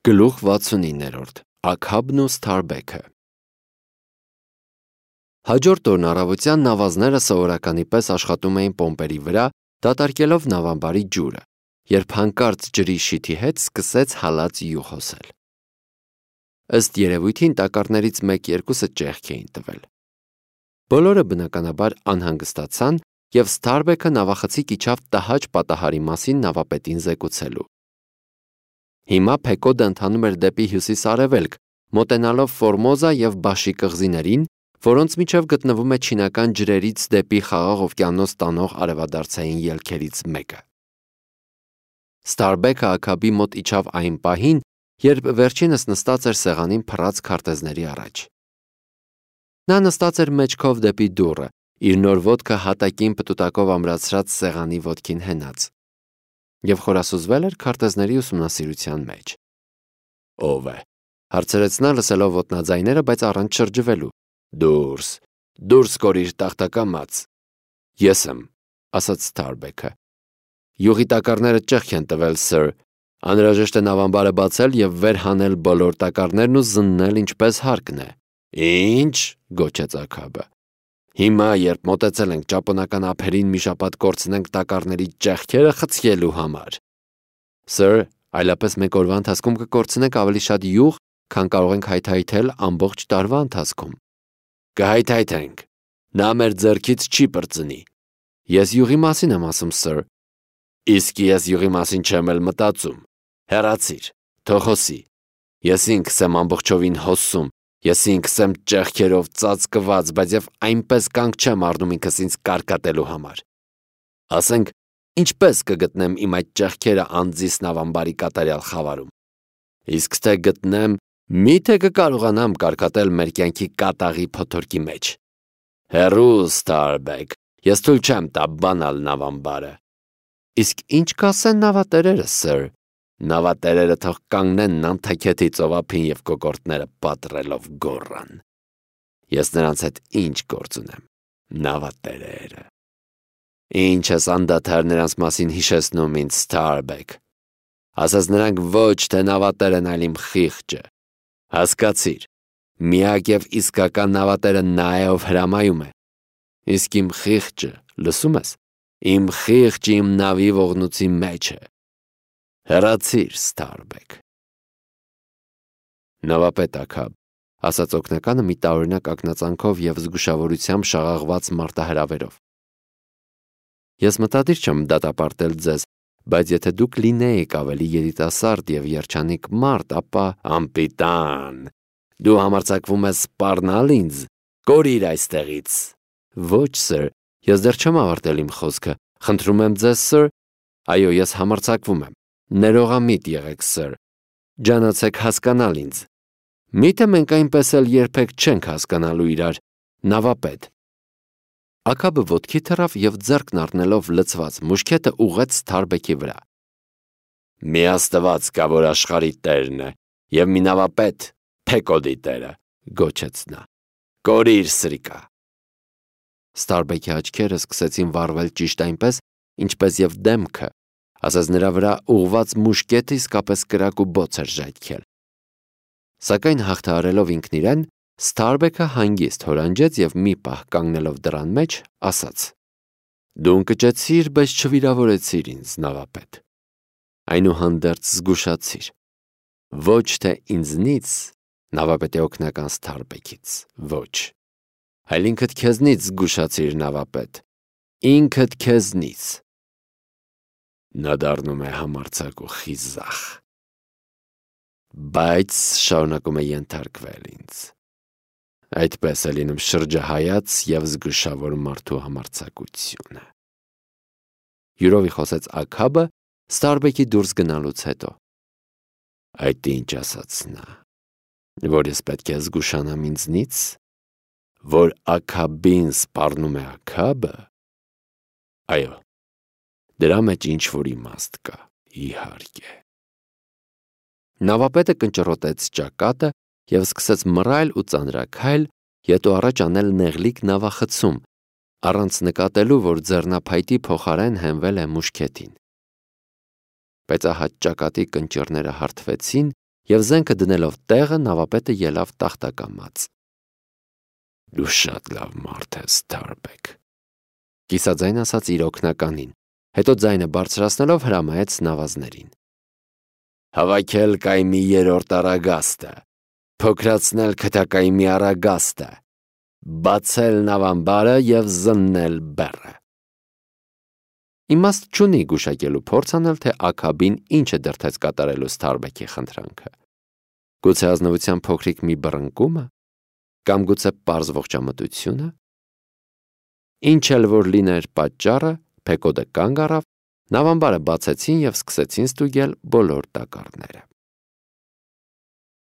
Գլուխ 69-րդ Աքաբն ու Սթարբեքը։ Հաջորդ օրն առավոտյան նավազները սովորականի պես աշխատում էին պոմպերի վրա, դատարկելով նավամբարի ջուրը, երբ հանկարծ ջրի շիթի հետ սկսեց հալած յուղ հոսել։ Ըստ երևույթին տակառներից 1-2-ը ճեղք էին տվել։ Բոլորը բնականաբար անհանգստացան, և Սթարբեքը նավախցիկ իջավ տհաճ պատահարի մասին նավապետին զեկուցելու։ Հիմա Փեկոդը ընթանում էր դեպի հյուսիս-արևելք, մոտենալով Ֆորմոզա և Բաշի կղզիներին, որոնց միջև գտնվում է չինական ջրերից դեպի Խաղաղ օվկիանոս տանող արևադարձային ելքերից մեկը։ Սթարբեքը Աքաբի մոտ իջավ այն պահին, երբ վերջինս նստած էր սեղանին փռած քարտեզների առաջ։ Նա նստած էր մեջքով դեպի դուռը, իր նոր ոտքը հատակին պտուտակով ամրացրած սեղանի ոտքին հենած, և խորասուզվել էր քարտեզների ուսումնասիրության մեջ։ «Ո՞վ է», հարցրեց նա լսելով ոտնաձայները, բայց առանց շրջվելու։ Դուրս կորիր տախտակամած։ Ես եմ, ասաց Սթարբեքը։ Յուղի տակառները ճեղք են տվել, սըր։ Անհրաժեշտ է նավամբարը բացել և վեր հանել բոլոր տակառներն ու զննել ինչպես հարկն է։ Ինչ, գոչեց Աքաբը։ Հիմա, երբ մոտեցել ենք ճապոնական ափերին, մի շաբաթ կորցնենք տակառների ճեղքերը խցկելու համար։ Սըր, այլապես մեկ օրվա ընթացքում կկորցնենք ավելի շատ յուղ, քան կարող ենք հայթայթել ամբողջ տարվա ընթացքում։ Կհայթայթենք։ Նա մեր ձեռքից չի պրծնի։ Ես յուղի մասին եմ ասում, սըր։ Իսկ ես յուղի մասին չեմ էլ մտածում։ Հեռացիր, թող հոսի։ Ես ինքս եմ ամբողջովին հոսում, ես ինքս եմ ճեղքերով ծածկված, բայց և այնպես կանգ չեմ առնում ինքս ինձ կարկատելու համար։ Ասենք, ինչպես կգտնեմ իմ այդ ճեղքերը անձիս նավամբարի կատարյալ խավարում։ Իսկ թե գտնեմ, միթե կկարողանամ կարկատել մեր կյանքի կատաղի փոթորկի մեջ։ Հեռու, Սթարբեք, ես թույլ չեմ տա բանալ նավամբարը։ Իսկ ինչ կասեն նավատերերը, սըր։ Նավատերերը թող կանգնեն Նանթաքեթի ծովափին և կոկորդները պատռելով գոռան։ Ես նրանց հետ ինչ գործ ունեմ, նավատերերը։ Ինչ ես անդադար նրանց մասին հիշեցնում ինձ, Սթարբեք։ Ասես նրանք ոչ թե նավատեր են, այլ իմ խիղճը։ Հասկացիր, միակ և իսկական նավատերը նա է, ով հրամայում է։ Իսկ իմ խիղճը, լսում ես, իմ խիղճը իմ նավի ողնուցի մեջ է։ Հեռացիր, Սթարբեք։ Նավապետ Աքաբ, ասաց օգնականը մի տարօրինակ ակնածանքով և զգուշավորությամբ շաղաղված մարտահրավերով։ Ես մտադիր չեմ դատապարտել ձեզ, բայց եթե դուք լինեիք ավելի երիտասարդ և երջանիկ մարդ, ապա անպիտան, դու համարձակվում ես սպառնալ ինձ, կորիր այստեղից։ Ոչ, սըր, ես դեռ չեմ ավարտել իմ խոսքը, խնդրում եմ ձեզ, սըր։ Այո, ես համարձակվում եմ, ներողամիտ եղեք, սըր, ջանացեք հասկանալ ինձ։ Միթե մենք այնպես էլ երբեք չենք հասկանալու իրար, նավապետ։ Աքաբը ոտքի թռավ և ձեռքն առնելով լցված մուշկետը ուղղեց Սթարբեքի վրա։ Մի աստված կա, որ աշխարհի տերն է, և մի նավապետ, Փեկոդի տերը, գոչեց նա։ Կորիր, սրիկա։ Սթարբեքի աչքերը սկսեցին վառվել ճիշտ այնպես, ինչպես և դեմքը, ասես նրա վրա ուղղված մուշկետը իսկապես կրակ ու բոց էր ժայթքել։ Սակայն հաղթահարելով ինքն իրեն, Սթարբեքը հանգիստ հորանջեց և մի պահ կանգնելով դռան մեջ, ասաց. Դու ընկճեցիր, բայց չվիրավորեցիր ինձ, նավապետ։ Այնուհանդերձ զգուշացիր։ Ոչ թե ինձնից, նավապետի օգնական Սթարբեքից, ոչ, այլ ինքդ քեզնից զգուշացիր, նավապետ, ինքդ քեզնից։ Նա դառնում է համարձակ ու խիզախ, բայց շարունակում է ենթարկվել ինձ։ Այդպես է լինում շրջահայաց և զգուշավոր մարդու համարձակությունը։ Յուրովի խոսեց Աքաբը Սթարբեքի դուրս գնալուց հետո։ Այդ ինչ ասաց նա, որ ես պետք է զգուշանամ ինձնից, որ Աքաբին սպառնում է Աքաբը։ Այո, դրա մեջ ինչ-որ իմաստ կա, իհարկե։ Նավապետը կնճռոտեց ճակատը և սկսեց մռայլ ու ծանրաքայլ, հետո առաջ անել նեղլիկ նավախցում, առանց նկատելու, որ ձեռնափայտի փոխարեն հենվել է մուշկետին։ Բայց ահա ճակատի կնճիռները հարթվեցին եւ զենքը դնելով տեղը նավապետը ելավ տախտակամած։ «Դու շատ լավ մարդ ես, Թարբեկ», կիսաձայն ասաց իր օգնականին, հետո ձայնը բարձրացնելով հրամայեց նավազներին. «Հավաքել կայմի 3-րդ արագաստը, փոքրացնել քթակայմի արագաստը, բացել նավամբարը եւ զննել բեռը»։ Իմաստ չունի գուշակելու փորձ անել, թե Աքաբին ինչ է դրդեց կատարելու Սթարբեքի խնդրանքը։ Գուցե ազնվության փոքրիկ մի բռնկումը, կամ գուցե պարզ ողջամտությունը։ Ինչ էլ որ լիներ պատճառը, Փեկոդը կանգ առավ, նավամբարը բացեցին եւ սկսեցին ստուգել բոլոր տակառները։